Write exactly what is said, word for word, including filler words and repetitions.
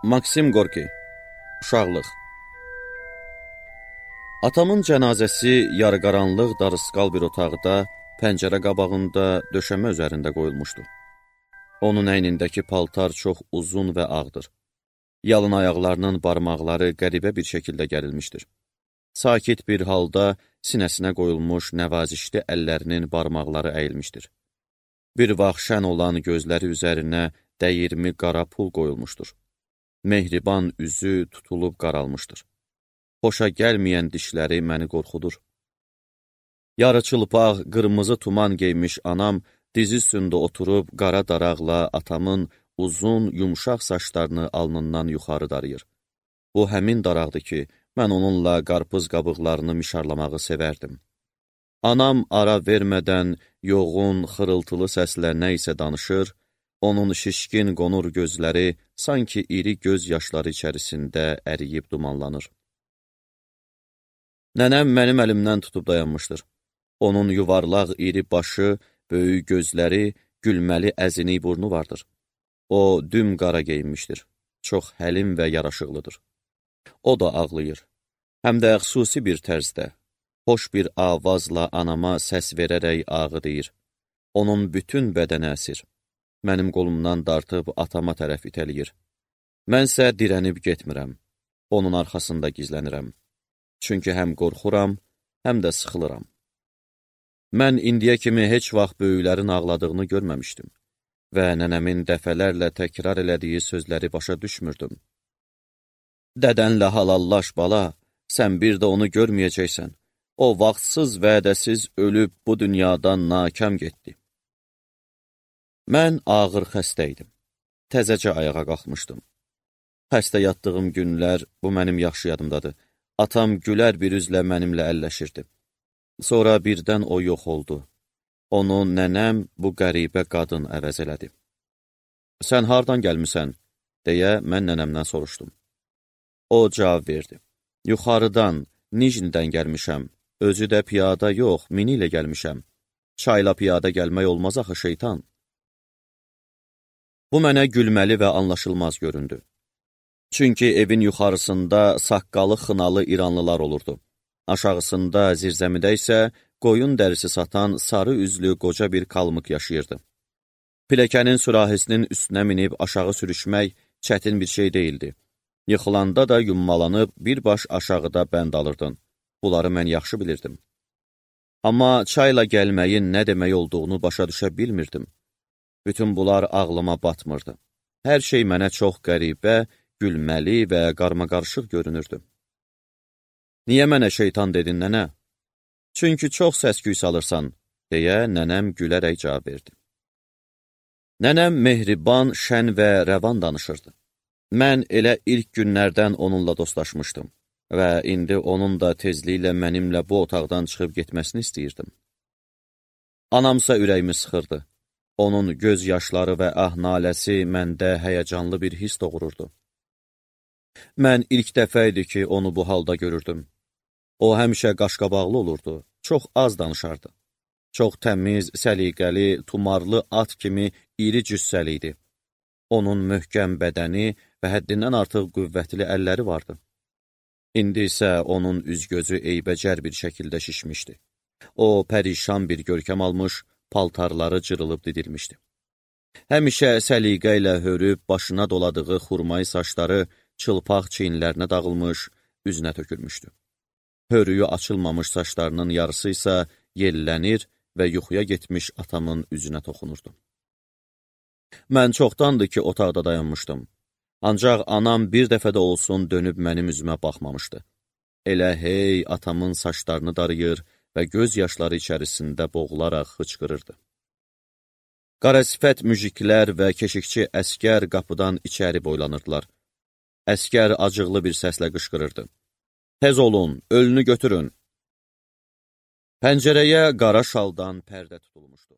Maksim Gorki, Uşaqlıq. Atamın cənazəsi yarıqaranlıq darısqal bir otaqda, pəncərə qabağında, döşəmə üzərində qoyulmuşdu. Onun əynindəki paltar çox uzun və ağdır. Yalın ayaqlarının barmaqları qəribə bir şəkildə gərilmişdir. Sakit bir halda sinəsinə qoyulmuş nəvazişli əllərinin barmaqları əyilmişdir. Bir vaxt şən olan gözləri üzərinə dəyirmi qara pul qoyulmuşdur. Mehriban üzü tutulub qaralmışdır. Xoşa gəlməyən dişləri məni qorxudur. Yarı çılpaq, qırmızı tuman geymiş anam dizi üstündə oturub qara daraqla atamın uzun, yumşaq saçlarını alnından yuxarı darıyır. Bu həmin daraqdır ki, mən onunla qarpız qabıqlarını mişarlamağı sevərdim. Anam ara vermədən yoğun, xırıltılı səslə nə isə danışır, onun şişkin qonur gözləri sanki iri göz yaşları içərisində əriyib dumanlanır. Nənəm mənim əlimdən tutub dayanmışdır. Onun yuvarlaq iri başı, böyük gözləri, gülməli əzini burnu vardır. O, düm qara geyinmişdir. Çox həlim və yaraşıqlıdır. O da ağlayır. Həm də xüsusi bir tərzdə. Xoş bir avazla anama səs verərək ağı deyir. Onun bütün bədəni əsir. Mənim qolumdan dartıb atama tərəf itəliyir. Mənsə dirənib getmirəm. Onun arxasında gizlənirəm. Çünki həm qorxuram, həm də sıxılıram. Mən indiyə kimi heç vaxt böyüklərin ağladığını görməmişdim və nənəmin dəfələrlə təkrar elədiyi sözləri başa düşmürdüm. Dədənlə halallaş bala, sən bir də onu görməyəcəksən. O, vaxtsız vədəsiz ölüb bu dünyadan nakam getdi. Mən ağır xəstə idim. Təzəcə ayağa qalxmışdım. Xəstə yatdığım günlər, bu mənim yaxşı yadımdadır. Atam gülər bir üzlə mənimlə əlləşirdi. Sonra birdən o yox oldu. Onu nənəm bu qəribə qadın əvəz elədi. Sən hardan gəlmisən? Deyə mən nənəmdən soruşdum. O cavab verdi. Yuxarıdan, Nijnidən gəlmişəm. Özü də piyada yox, mini ilə gəlmişəm. Çayla piyada gəlmək olmaz axı şeytan. Bu mənə gülməli və anlaşılmaz göründü. Çünki evin yuxarısında saqqalı xınalı İranlılar olurdu. Aşağısında, zirzəmidə isə qoyun dərisi satan sarı üzlü qoca bir kalmık yaşayırdı. Piləkənin sürahisinin üstünə minib aşağı sürüşmək çətin bir şey deyildi. Yıxılanda da yummalanıb bir baş aşağıda bənd alırdın. Bunları mən yaxşı bilirdim. Amma çayla gəlməyin nə demək olduğunu başa düşə bilmirdim. Bütün bunlar ağlıma batmırdı. Hər şey mənə çox qəribə, gülməli və qarmaqarışıq görünürdü. Niyə mənə şeytan dedin, nənə? Çünki çox səs-küy salırsan, deyə nənəm gülərək cavab verdi. Nənəm mehriban, şən və rəvan danışırdı. Mən elə ilk günlərdən onunla dostlaşmışdım və indi onun da tezliklə mənimlə bu otaqdan çıxıb getməsini istəyirdim. Anamsa ürəyimi sıxırdı. Onun göz yaşları və ah-naləsi məndə həyəcanlı bir his doğururdu. Mən ilk dəfə idi ki, onu bu halda görürdüm. O həmişə qaşqabaqlı olurdu, çox az danışardı. Çox təmiz, səliqəli, tumarlı at kimi iri cüssəli idi. Onun möhkəm bədəni və həddindən artıq qüvvətli əlləri vardı. İndi isə onun üz-gözü eybəcər bir şəkildə şişmişdi. O, pərişan bir görkəm almış, paltarları cırılıb didilmişdi. Həmişə səliqə ilə hörüb başına doladığı xurmayı saçları çılpaq çiyinlərinə dağılmış, üzünə tökülmüşdü. Hörüyü açılmamış saçlarının yarısı isə yellənir və yuxuya getmiş atamın üzünə toxunurdu. Mən çoxdandır ki, otaqda dayanmışdım. Ancaq anam bir dəfə də olsun dönüb mənim üzümə baxmamışdı. Elə hey atamın saçlarını darıyır və göz yaşları içərisində boğularaq hıçqırırdı. Qarasifət müjiklər və keşikçi əskər qapıdan içəri boylanırdılar. Əskər acıqlı bir səslə qışqırırdı. Tez olun, ölünü götürün. Pəncərəyə qara şaldan pərdə tutulmuşdu.